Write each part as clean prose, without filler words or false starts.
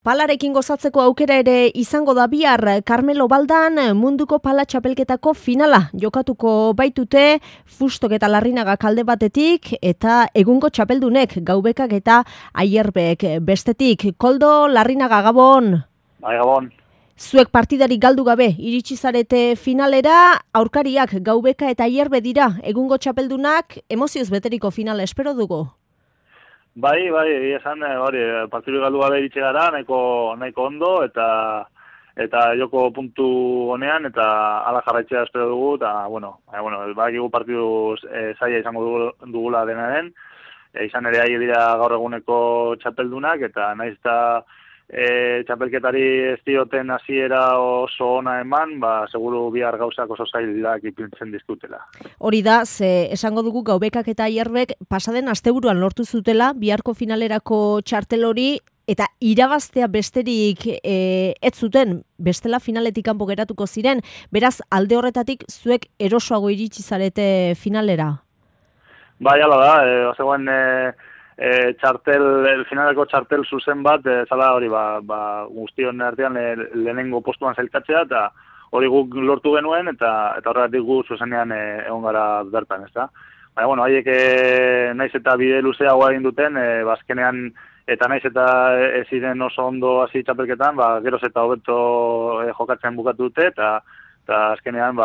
Palarekin gozatzeko aukera ere izango da bihar. Carmelo Baldan munduko pala txapelketako finala jokatuko baitute Fustok eta Larrinaga alde batetik eta egungo txapeldunek Gaubekak eta Aierbek bestetik. Koldo, Larrinaga, Gabon. Bai, Gabon. Zuek partidarik galdu gabe iritsi zarete finalera, aurkariak Gaubeka eta Aierbe dira egungo txapeldunak, emozioz beteriko finala espero dugu. Bai, esan partidu galdu gabe iritsi gara, nahiko ondo eta joko puntu honean eta ala jarraitzea espero dugu eta badakigu partidu zaila izango dugula denaren, izan ere Aier dira gaur eguneko txapeldunak eta naiz eta txapelketari ez dioten hasiera oso ona eman, seguru bihar gauzak oso zailak ipintzen dizkutela. Hori da, esango dugu Gaubekak eta Aierbek pasaden asteburuan lortu zutela biharko finalerako txartel hori eta irabaztea besterik ez zuten, bestela finaletik kanpo geratuko ziren, beraz alde horretatik zuek erosoago iritsi zarete finalera. Bai, hala da, zegoen finaleko txartel zuzen bat, zala hori, guztion artean lehenengo postuan zailkatzea, eta hori guk lortu genuen, eta horregatik gu zuzenean egon gara bertan, ez da. Baina, haiek naiz eta bide luzeagoa egin duten, azkenean, eta naiz eta ez ziren oso ondo hasi txapelketan, geroz eta hobeto jokatzen bukatu dute, eta azkenean,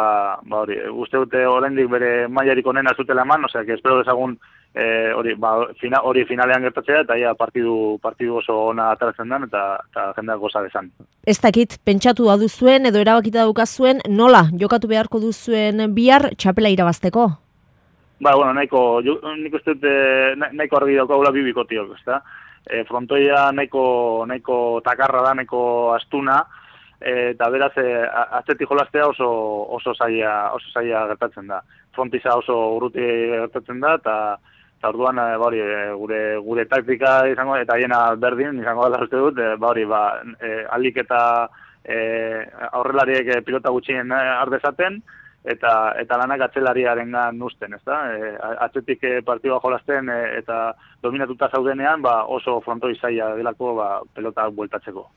uste dute oraindik bere mailarik onena zutela eman, osea, espero dezagun hori finalean gertatzea, eta ja partidu oso ona ateratzen den, eta jendeak goza dezan. Ez dakit, pentsatu da duzuen, edo erabakita daukazuen, nola jokatu beharko duzuen bihar txapela irabazteko? Nik uste dut nahiko argi daukagula bibikotiok, ezta? Frontoia nahiko takarra da, nahiko astuna, eta beraz, atzetik jolaztea oso zaila gertatzen da. Frontiza oso urruti gertatzen da, eta orduan gure taktika izango, eta hiena berdin izango da uste dut, alik eta aurrelariek pilota gutxien ardezaten, eta lanak atzelariarengan uzten, ezta? Atzetik partidua jolazten eta dominatuta zaudenean, oso frontoi zaila delako pelota bueltatzeko.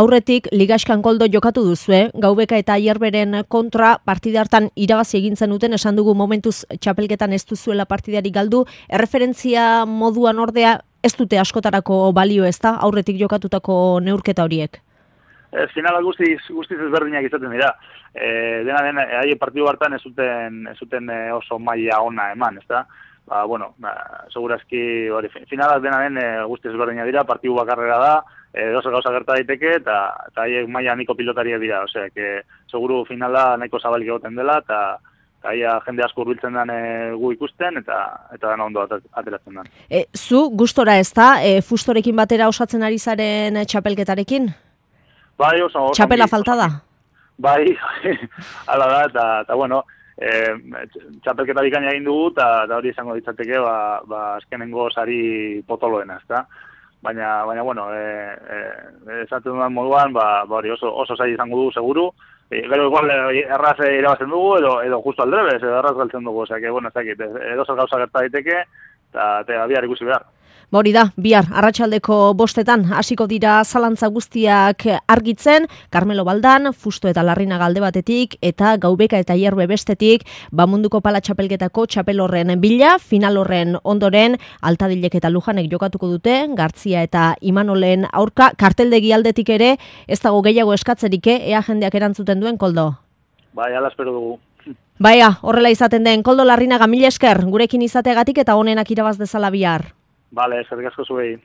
Aurretik, Ligaxkan Koldo jokatu duzue, Gaubeka eta Aierberen kontra partida hartan irabazi egin zenuten, esan dugu momentuz txapelketan ez duzuela partidarik galdu, erreferentzia moduan ordea ez dute askotarako balio, ezta? Aurretik jokatutako neurketa horiek. Finala guztiz ezberdinak izaten dira. Dena den, haien partidu hartan ez zuten oso maila ona eman, ezta? Segurazki, finalak dena den guztiz ezberdinak dira, partidu bakarrera da, dozer gauza gerta daiteke, eta haiek maila niko pilotariak dira, osea, seguru finala nahiko zabalik egoten dela, eta jende asko hurbiltzen den gu ikusten, eta dena ondo ateratzen den. Zu, gustora ez da, Fustorekin batera osatzen ari zaren txapelketarekin? Bai, oso. Txapela falta da? Bai, hala da, eta txapelketa bikaina egin dugu, eta hori izango ditzateke, azkenengo sari potoloena, ezta? Baina, esaten dudan moduan, oso zaila izango du, seguru. Gero igual erraz irabazten dugu, edo justo aldrebez, edo erraz galtzen dugu, ez dakit, edo zer gauza gerta daiteke, eta bihar ikusi behar. Hori da, bihar, arratsaldeko 5:00 hasiko dira zalantza guztiak argitzen, Carmelo Baldan, Fusto eta Larrinaga alde batetik, eta Gaubeka eta Aierbe bestetik, munduko pala txapelketako txapel horren bila, final horren ondoren, Altadilek eta Lujanek jokatuko dute, Gartzia eta Imanolen aurka, karteldegi aldetik ere, ez dago gehiago eskatzerik, ea jendeak erantzuten duen, Koldo? Bai, ala espero dugu. Horrela izaten den, Koldo Larrinaga, mila esker, gurekin izateagatik eta honenak irabaz dezala bihar. Bale, eskerrik asko zuei.